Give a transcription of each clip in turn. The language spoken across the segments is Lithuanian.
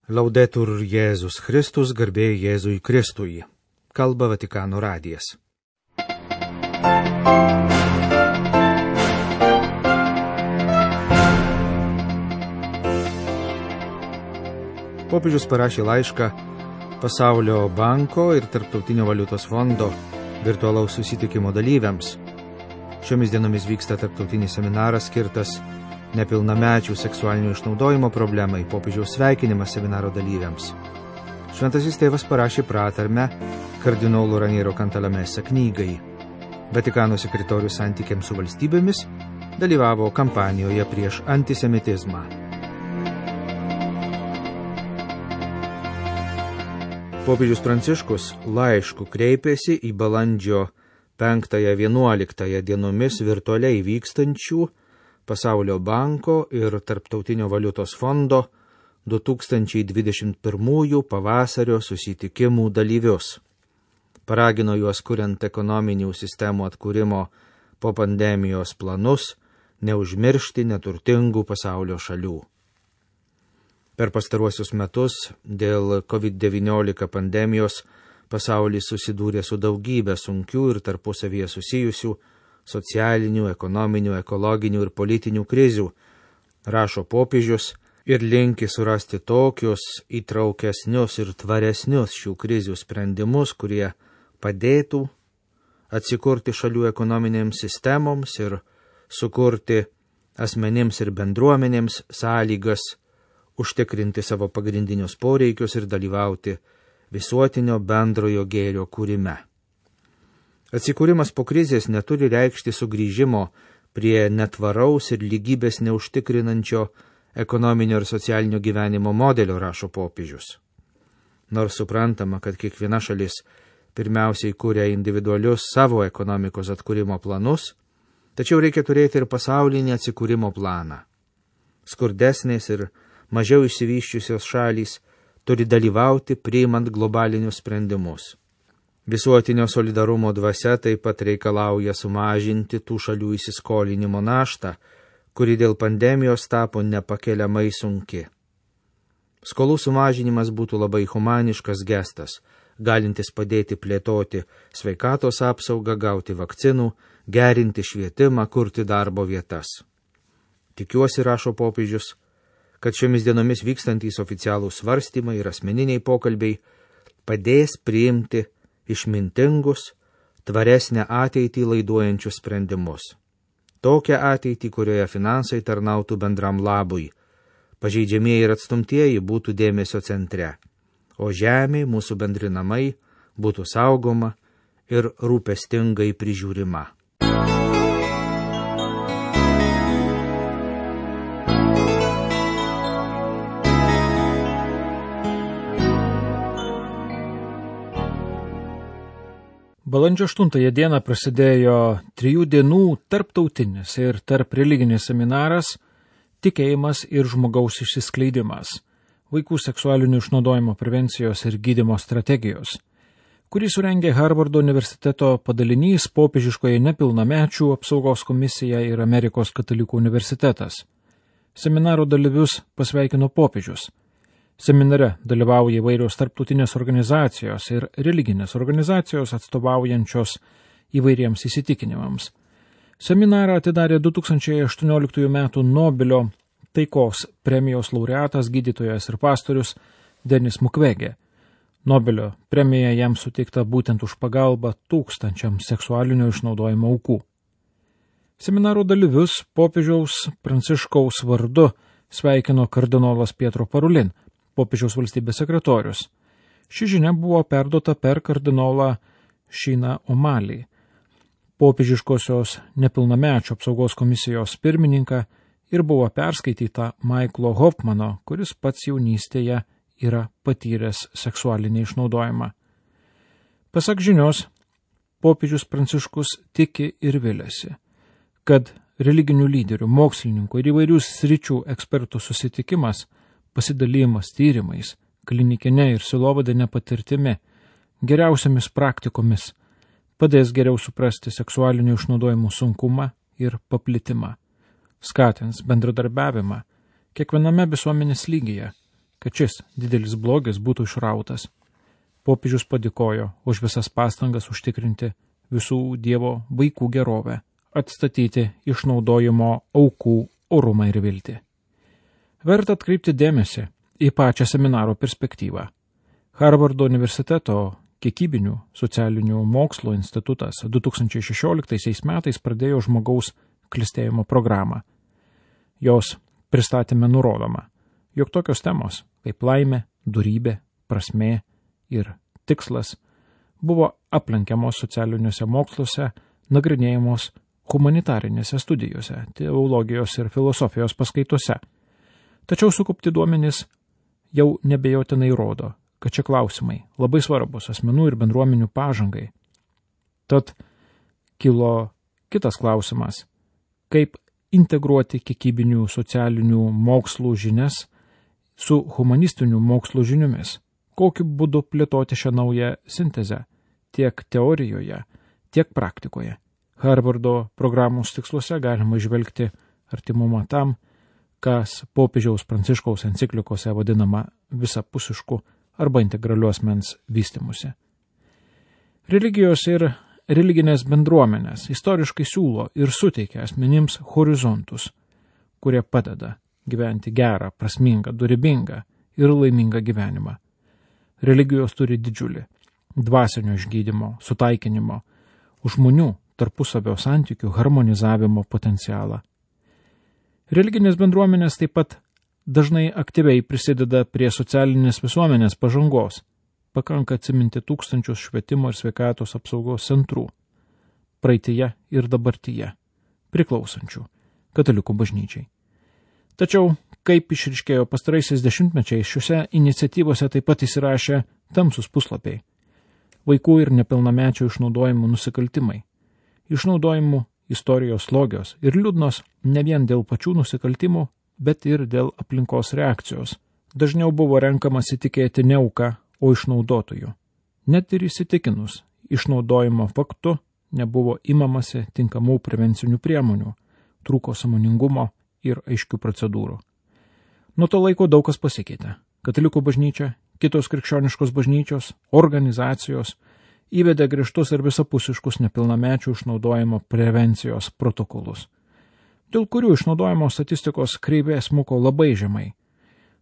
Laudetur Jėzus Kristus, garbė Jėzui Kristui. Kalba Vatikano radijas. Popiežius parašė laišką Pasaulio banko ir Tarptautinio valiutos fondo virtualaus susitikimo dalyviams. Šiomis dienomis vyksta tarptautinis seminaras skirtas nepilnamečių seksualinio išnaudojimo problemai, popiežiaus sveikinimas seminaro dalyviams. Šventasis tėvas parašė pratarmę kardinolo Raniero Cantalamessa knygai. Vatikano sekretorius santykiams su valstybėmis dalyvavo kampanijoje prieš antisemitizmą. Popiežius Pranciškus laišku kreipėsi į balandžio 5-11 dienomis virtualiai vykstančių Pasaulio banko ir Tarptautinio valiutos fondo 2021 pavasario susitikimų dalyvius. Paragino juos kuriant ekonominių sistemų atkūrimo po pandemijos planus, neužmiršti neturtingų pasaulio šalių. Per pastaruosius metus dėl COVID-19 pandemijos pasaulis susidūrė su daugybė sunkių ir tarpusavyje susijusių socialinių, ekonominių, ekologinių ir politinių krizių, rašo popiežius ir linki surasti tokius įtraukesnius ir tvaresnius šių krizių sprendimus, kurie padėtų atsikurti šalių ekonominėms sistemoms ir sukurti asmenims ir bendruomenėms sąlygas užtikrinti savo pagrindinius poreikius ir dalyvauti visuotinio bendrojo gėrio kūrime. Atsikūrimas po krizės neturi reikšti sugrįžimo prie netvaraus ir lygybės neužtikrinančio ekonominio ir socialinio gyvenimo modelio, rašo popiežius. Nors suprantama, kad kiekviena šalis pirmiausiai kūrė individualius savo ekonomikos atkūrimo planus, tačiau reikia turėti ir pasaulinį atsikūrimo planą. Skurdesnės ir mažiau išsivysčiusios šalys turi dalyvauti priimant globalinius sprendimus. Visuotinio solidarumo dvasia taip pat reikalauja sumažinti tų šalių įsiskolinimo naštą, kuri dėl pandemijos tapo nepakeliamai sunki. Skolų sumažinimas būtų labai humaniškas gestas, galintis padėti plėtoti sveikatos apsaugą, gauti vakcinų, gerinti švietimą, kurti darbo vietas. Tikiuosi, rašo popiežius, kad šiomis dienomis vykstantys oficialūs svarstymai ir asmeniniai pokalbiai padės priimti išmintingus, tvaresnę ateitį laiduojančius sprendimus. Tokią ateitį, kurioje finansai tarnautų bendram labui, pažeidžiamieji ir atstumtieji būtų dėmesio centre, o žemė, mūsų bendri namai, būtų saugoma ir rūpestingai prižiūrima. Balandžio 8 dieną prasidėjo 3 dienų tarptautinis ir tarp religinis seminaras Tikėjimas ir žmogaus išsiskleidimas – vaikų seksualinio išnaudojimo prevencijos ir gydymo strategijos, kurį surengė Harvardo universiteto padalinys popiežiškoje nepilnamečių apsaugos komisija ir Amerikos katalikų universitetas. Seminaro dalyvius pasveikino popiežius. Seminare dalyvauja įvairios tarptautinės organizacijos ir religinės organizacijos atstovaujančios įvairiems įsitikinimams. Seminarą atidarė 2018 m. Nobelio taikos premijos laureatas, gydytojas ir pastorius Denis Mukwege. Nobelio premija jam suteikta būtent už pagalbą tūkstančiams seksualinio išnaudojimo aukų. Seminaro dalyvius popiežiaus Pranciškaus vardu sveikino kardinolas Pietro Parolin, popiežiaus valstybės sekretorius. Ši žinia buvo perduota per kardinolą Šiną Omalį, popiežiškosios nepilnamečių apsaugos komisijos pirmininką, ir buvo perskaityta Maiklo Hofmano, kuris pats jaunystėje yra patyręs seksualinį išnaudojimą. Pasak žinios, popiežius Pranciškus tiki ir viliasi, kad religinių lyderių, mokslininkų ir įvairių sričių ekspertų susitikimas, pasidalymas tyrimais, klinikinė ir silovadinė patirtimi, geriausiamis praktikomis padės geriau suprasti seksualinių išnaudojimų sunkumą ir paplitimą, skatins bendradarbiavimą kiekviename visuomenės lygyje kad šis didelis blogis būtų išrautas. Popiežius padėkojo už visas pastangas užtikrinti visų Dievo vaikų gerovę, atstatyti išnaudojimo aukų orumą ir viltį. Verta atkreipti dėmesį į pačią seminaro perspektyvą. Harvardo universiteto kiekybinių socialinių mokslų institutas 2016 metais pradėjo žmogaus klestėjimo programą. Jos pristatyme nurodoma, jog tokios temos kaip laimė, dorybė, prasmė ir tikslas buvo aplenkiamos socialiniuose moksluose, nagrinėjamos humanitarinėse studijose, teologijos ir filosofijos paskaitose. Tačiau sukaupti duomenys jau nebejotinai rodo, kad šie klausimai labai svarbus asmenų ir bendruomenių pažangai. Tad kilo kitas klausimas, kaip integruoti kiekybinių socialinių mokslų žinias su humanistinių mokslų žiniomis, kokiu būdu plėtoti šią naują sintezę tiek teorijoje, tiek praktikoje. Harvardo programos tiksluose galima įžvelgti artimumą tam, kas popiežiaus Pranciškaus enciklikose vadinama visapusišku arba integraliu asmens vystymusi. Religijos ir religinės bendruomenės istoriškai siūlo ir suteikia asmenims horizontus, kurie padeda gyventi gerą, prasmingą, dorybingą ir laimingą gyvenimą. Religijos turi didžiulį dvasinio išgydymo, sutaikinimo, žmonių tarpusavio santykių harmonizavimo potencialą. Religinės bendruomenės taip pat dažnai aktyviai prisideda prie socialinės visuomenės pažangos. Pakanka atsiminti tūkstančius švietimo ir sveikatos apsaugos centrų, praeityje ir dabartyje, priklausančių katalikų bažnyčiai. Tačiau, kaip išryškėjo pastaraisiais dešimtmečiais, šiuose iniciatyvose taip pat įsirašė tamsus puslapiai. Vaikų ir nepilnamečių išnaudojimų nusikaltimai. Išnaudojimų istorijos slogios ir liūdnos ne vien dėl pačių nusikaltimų, bet ir dėl aplinkos reakcijos. Dažniau buvo renkamasi tikėti ne auka, o išnaudotojų. Net ir įsitikinus išnaudojimo faktu nebuvo imamasi tinkamų prevencinių priemonių, trūko sąmoningumo ir aiškių procedūrų. Nuo to laiko daug kas pasikeitė. Katalikų bažnyčia, kitos krikščioniškos bažnyčios, organizacijos įvedė griežtus ir visapusiškus nepilnamečių išnaudojimo prevencijos protokolus, dėl kurių išnaudojimo statistikos kreivė smuko labai žemai.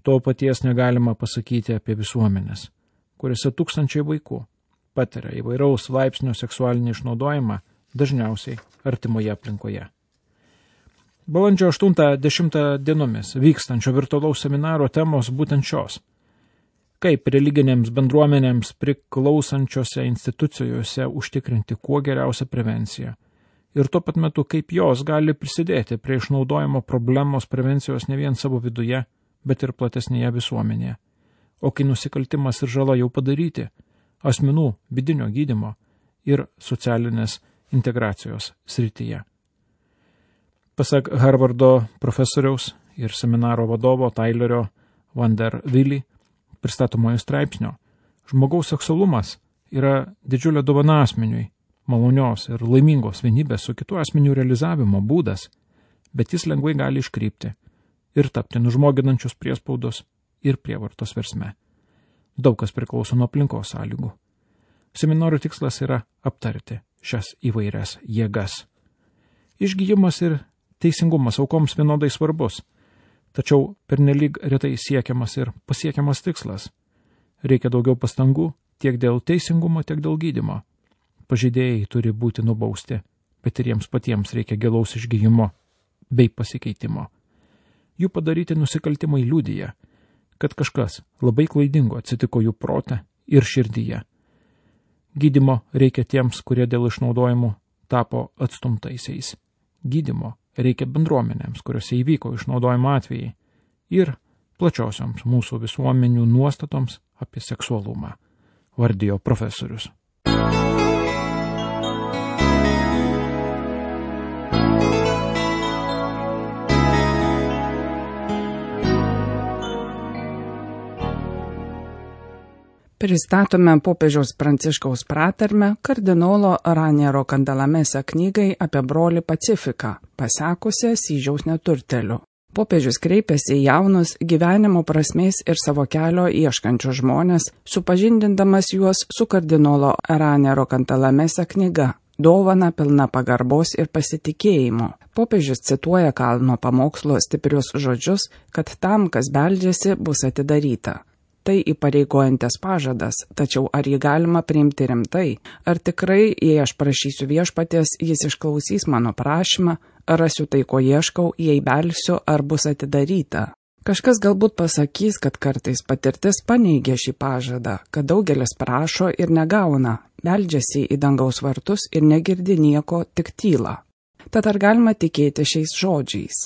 To paties negalima pasakyti apie visuomenės, kuriuose tūkstančiai vaikų patiria įvairaus laipsnio seksualinį išnaudojimą, dažniausiai artimoje aplinkoje. Balandžio 8-10 dienomis vykstančio virtualaus seminaro temos būtent šios. Kaip religinėms bendruomenėms priklausančiose institucijose užtikrinti kuo geriausią prevenciją ir tuo pat metu kaip jos gali prisidėti prie išnaudojimo problemos prevencijos ne vien savo viduje, bet ir platesnėje visuomenėje. O kai nusikaltimas ir žala jau padaryti, asmenų vidinio gydymo ir socialinės integracijos srityje. Pasak Harvardo profesoriaus ir seminaro vadovo Tylerio Van der Willy pristatomojo straipsnio, žmogaus seksualumas yra didžiulė dovana asmeniui, malonios ir laimingos vienybės su kitų asmenių realizavimo būdas, bet jis lengvai gali iškrypti ir tapti nužmoginančios priespaudos ir prievartos versme. Daug kas priklauso nuo aplinkos sąlygų. Seminaro tikslas yra aptarti šias įvairias jėgas. Išgyjimas ir teisingumas aukoms vienodai svarbus, tačiau pernelyg retai siekiamas ir pasiekiamas tikslas. Reikia daugiau pastangų tiek dėl teisingumo, tiek dėl gydymo. Pažeidėjai turi būti nubausti, bet ir jiems patiems reikia gilaus išgyjimo bei pasikeitimo. Jų padaryti nusikaltimai liudija, kad kažkas labai klaidingo atsitiko jų prote ir širdyje. Gydymo reikia tiems, kurie dėl išnaudojimų tapo atstumtaisiais. Gydymo reikia bendruomenėms, kuriuose įvyko išnaudojimo atvejai, ir plačiosioms mūsų visuomenių nuostatoms apie seksualumą, vardijo profesorius. Pristatome popiežiaus Pranciškaus pratarmę kardinolo Raniero Kandalamesa knygai apie brolį Pacifiką, pasekusią Asyžiaus neturteliu. Popiežius kreipėsi į jaunus gyvenimo prasmės ir savo kelio ieškančius žmonės, supažindindamas juos su kardinolo Raniero Cantalamessa knyga Dovana pilna pagarbos ir pasitikėjimo. Popiežius cituoja Kalno pamokslo stiprius žodžius, kad tam, kas beldžiasi, bus atidaryta. Tai įpareigojantis pažadas, tačiau ar jį galima priimti rimtai? Ar tikrai, jei aš prašysiu viešpaties, jis išklausys mano prašymą, ar rasiu tai, ko ieškau, jei belsiu, ar bus atidaryta? Kažkas galbūt pasakys, kad kartais patirtis paneigia šį pažadą, kad daugelis prašo ir negauna, beldžiasi į dangaus vartus ir negirdi nieko, tik tyla. Tad ar galima tikėti šiais žodžiais?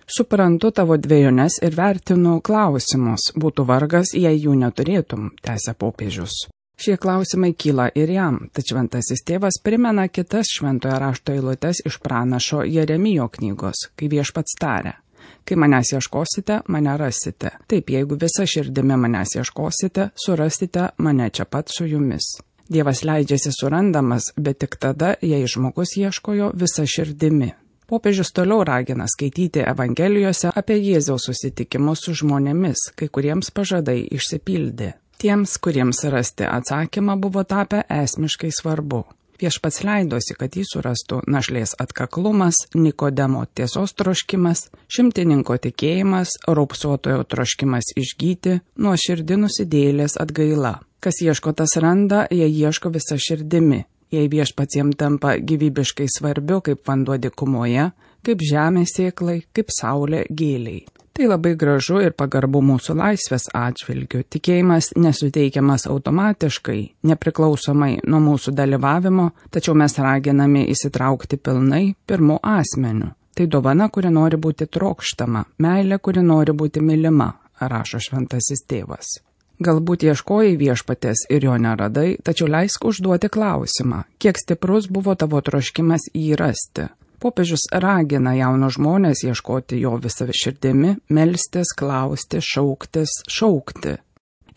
Suprantu tavo dvejones ir vertinu klausimus, būtų vargas, jei jų neturėtum, tęsia popiežius. Šie klausimai kyla ir jam, tačiau šventasis tėvas primena kitas šventojo rašto eilutes iš pranašo Jeremijo knygos, kai viešpats taria: kai manęs ieškosite, mane rasite. Taip, jeigu visa širdimi manęs ieškosite, surasite mane čia pat su jumis. Dievas leidžiasi surandamas, bet tik tada, jei žmogus ieškojo visa širdimi. Popiežius toliau ragina skaityti Evangelijose apie Jėzaus susitikimus su žmonėmis, kai kuriems pažadai išsipildė. Tiems, kuriems rasti atsakymą, buvo tapę esmiškai svarbu. Viešpats leidosi, kad jį surastų našlės atkaklumas, Nikodemo tiesos troškimas, šimtininko tikėjimas, raupsuotojo troškimas išgyti, nuoširdi nusidėjėlės atgaila. Kas ieško, tas randa, jei ieško visa širdimi. Jei viešpats jam tampa gyvybiškai svarbiu kaip vanduo dykumoje, kaip žemė sėklai, kaip saulė gėliai. Tai labai gražu ir pagarbu mūsų laisvės atžvilgiu. Tikėjimas nesuteikiamas automatiškai, nepriklausomai nuo mūsų dalyvavimo, tačiau mes raginami įsitraukti pilnai pirmu asmeniu. Tai dovana, kuri nori būti trokštama, meilė, kuri nori būti mylima, rašo šventasis tėvas. Galbūt ieškojai viešpatės ir jo neradai, tačiau leisk užduoti klausimą, kiek stiprus buvo tavo troškimas jį rasti. Popiežius ragina jaunus žmonės ieškoti jo visą širdimi, melstis, klausti, šaukti.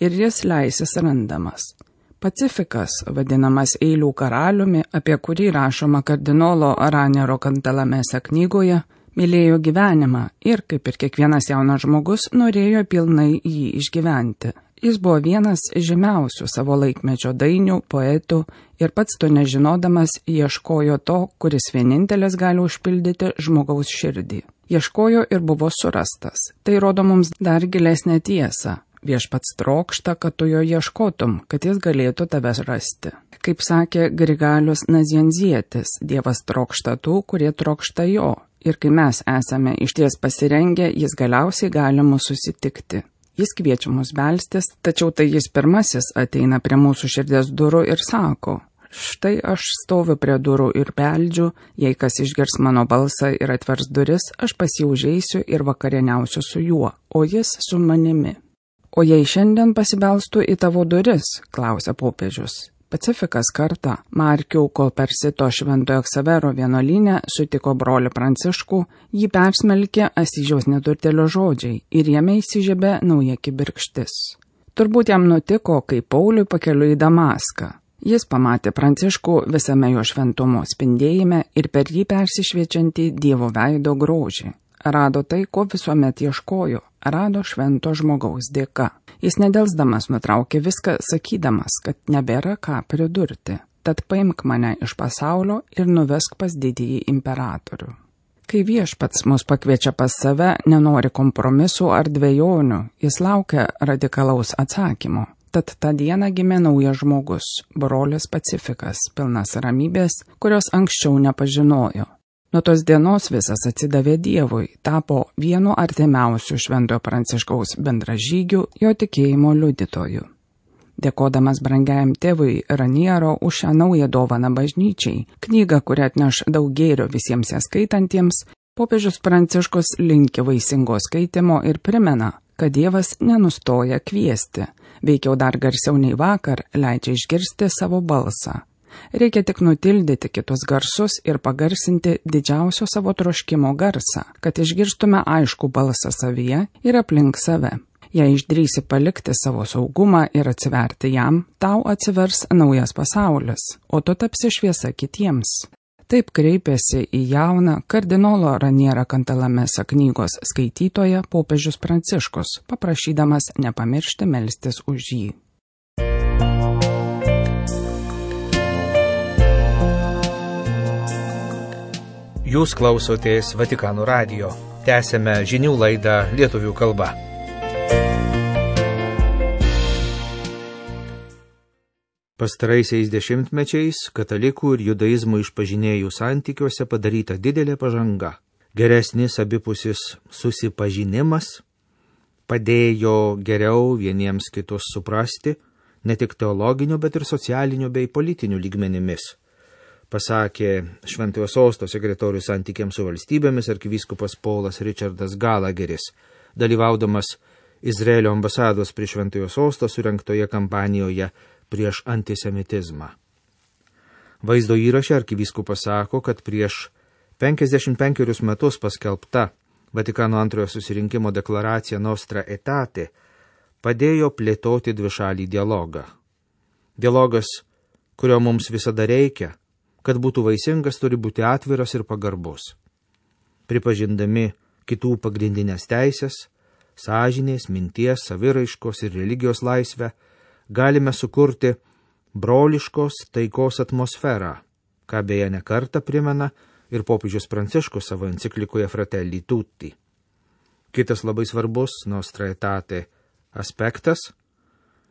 Ir jis leisis randamas. Pacifikas, vadinamas eilių karaliumi, apie kurį rašoma kardinolo Raniero Cantalamessa knygoje, mylėjo gyvenimą ir, kaip ir kiekvienas jaunas žmogus, norėjo pilnai jį išgyventi. Jis buvo vienas žymiausių savo laikmečio dainių, poetų ir pats to nežinodamas ieškojo to, kuris vienintelis gali užpildyti žmogaus širdį. Ieškojo ir buvo surastas. Tai rodo mums dar gilesnę tiesą. Viešpats trokšta, kad tu jo ieškotum, kad jis galėtų tavęs rasti. Kaip sakė Grigalius Nazianzietis, Dievas trokšta tų, kurie trokšta jo. Ir kai mes esame išties pasirengę, jis galiausiai gali mus susitikti. Jis kviečia mus belstis, tačiau tai jis pirmasis ateina prie mūsų širdies durų ir sako: štai aš stoviu prie durų ir beldžiu, jei kas išgirs mano balsą ir atvers duris, aš pas jį užeisiu ir vakarieniausiu su juo, o jis su manimi. O jei šiandien pasibelstų į tavo duris, klausia popiežius. Pacifikas kartą Markių Kolpersito Šventojo Ksavero vienuolyne sutiko brolį Pranciškų, jį persmelkė Asyžiaus neturtėlio žodžiai ir jame įsižiebė nauja kibirkštis. Turbūt jam nutiko, kai Pauliui pakeliui į Damaską. Jis pamatė Pranciškų visame jo šventumo spindėjime ir per jį persišviečiantį Dievo veido grožį. Rado tai, ko visuomet ieškojo, rado švento žmogaus dėka. Jis nedelsdamas nutraukė viską, sakydamas, kad nebėra ką pridurti. Tad paimk mane iš pasaulio ir nuvesk pas didįjį imperatorių. Kai viešpats mus pakviečia pas save, nenori kompromisų ar dvejonių, jis laukia radikalaus atsakymo. Tad tą dieną gimė naujas žmogus, brolis Pacifikas, pilnas ramybės, kurios anksčiau nepažinojo. Nuo tos dienos visas atsidavė Dievui, tapo vienu artimiausių Šventojo Pranciškaus bendražygių, jo tikėjimo liudytojų. Dėkodamas brangiajam tėvui Raniero už šią naują dovaną bažnyčiai, knygą, kuri atneš daug gėrio visiems ją skaitantiems, popiežius Pranciškus linki vaisingo skaitimo ir primena, kad Dievas nenustoja kviesti, veikiau dar garsiau nei vakar leidžia išgirsti savo balsą. Reikia tik nutildyti kitus garsus ir pagarsinti didžiausio savo troškimo garsą, kad išgirstume aišku balsą savyje ir aplink save. Jei išdrįsi palikti savo saugumą ir atsiverti jam, tau atsivers naujas pasaulis, o tu tapsi šviesa kitiems. Taip kreipėsi į jauną kardinolo Raniero Cantalamessa knygos skaitytoją popiežius Pranciškus, paprašydamas nepamiršti melstis už jį. Jūs klausotės Vatikano radijo. Tęsėme žinių laidą lietuvių kalba. Pastaraisiais dešimtmečiais katalikų ir judaizmų išpažinėjų santykiuose padaryta didelė pažanga. Geresnis abipusis susipažinimas padėjo geriau vieniems kitus suprasti, ne tik teologiniu, bet ir socialiniu bei politiniu lygmenimis. Pasakė Šventojo Sosto sekretorius santykiams su valstybėmis arkivyskupas Paulas Richardas Gallagheris, dalyvaudamas Izraelio ambasados prie Šventojo Sosto surengtoje kampanijoje prieš antisemitizmą. Vaizdo įraše arkivyskupas sako, kad prieš 55 metus paskelbta Vatikano antrojo susirinkimo deklaracija Nostra Aetate padėjo plėtoti dvišalį dialogą. Dialogas, kurio mums visada reikia, kad būtų vaisingas, turi būti atviras ir pagarbus. Pripažindami kitų pagrindinės teisės, sąžinės, minties, saviraiškos ir religijos laisvę, galime sukurti broliškos taikos atmosferą, ką beje ne kartą primena ir popiežius Pranciškus savo enciklikoje Fratelli Tutti. Kitas labai svarbus Nostra Aetate aspektas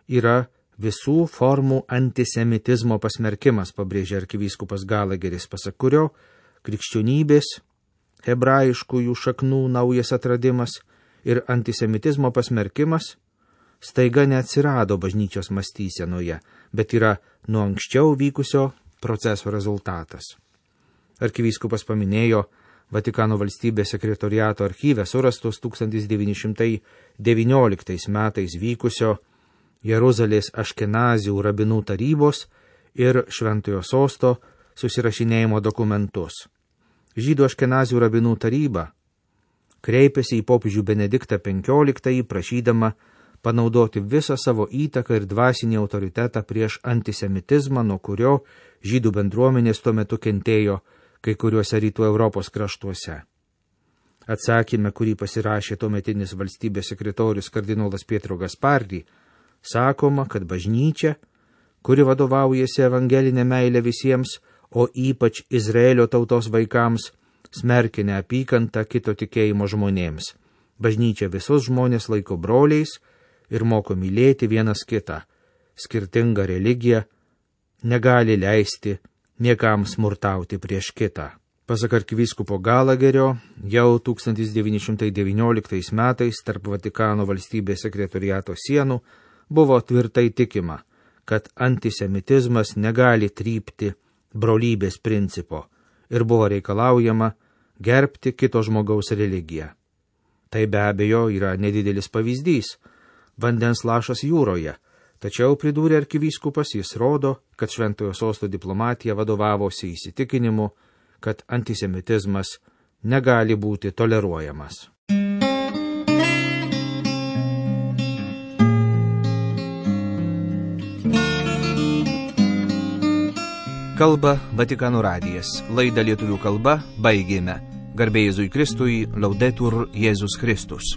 yra visų formų antisemitizmo pasmerkimas, pabrėžė arkivyskupas Gallagheris, pasak kurio krikščionybės, hebrajiškųjų šaknų naujas atradimas ir antisemitizmo pasmerkimas staiga neatsirado bažnyčios mąstysenoje, bet yra nuo anksčiau vykusio proceso rezultatas. Arkivyskupas paminėjo Vatikano valstybės sekretoriato archyve surastos 1919 metais vykusio Jeruzalės Aškenazių rabinų tarybos ir Šventojo Sosto susirašinėjimo dokumentus. Žydų Aškenazių rabinų taryba kreipėsi į popiežių Benediktą XV, prašydama panaudoti visą savo įtaką ir dvasinį autoritetą prieš antisemitizmą, nuo kurio žydų bendruomenės tuo metu kentėjo kai kuriuose rytų Europos kraštuose. Atsakyme, kurį pasirašė tuometinis valstybės sekretorius kardinolas Pietro Gaspardi, sakoma, kad bažnyčia, kuri vadovaujasi evangelinė meilė visiems, o ypač Izraelio tautos vaikams, smerkia neapykantą kito tikėjimo žmonėms. Bažnyčia visus žmonės laiko broliais ir moko mylėti vienas kitą. Skirtinga religija negali leisti niekam smurtauti prieš kitą. Pasak arkivyskupo Gallagherio, jau 1919 metais tarp Vatikano valstybės sekretoriato sienų buvo tvirtai tikima, kad antisemitizmas negali trypti brolybės principo ir buvo reikalaujama gerbti kito žmogaus religiją. Tai be abejo yra nedidelis pavyzdys, vandens lašas jūroje, tačiau pridūrė arkivyskupas, jis rodo, kad Šventojo Sosto diplomatija vadovavosi įsitikinimu, kad antisemitizmas negali būti toleruojamas. Kalba Vatikano radijas. Laidą lietuvių kalba baigėme. Garbė Jėzui Kristui, Laudetur Jėzus Kristus.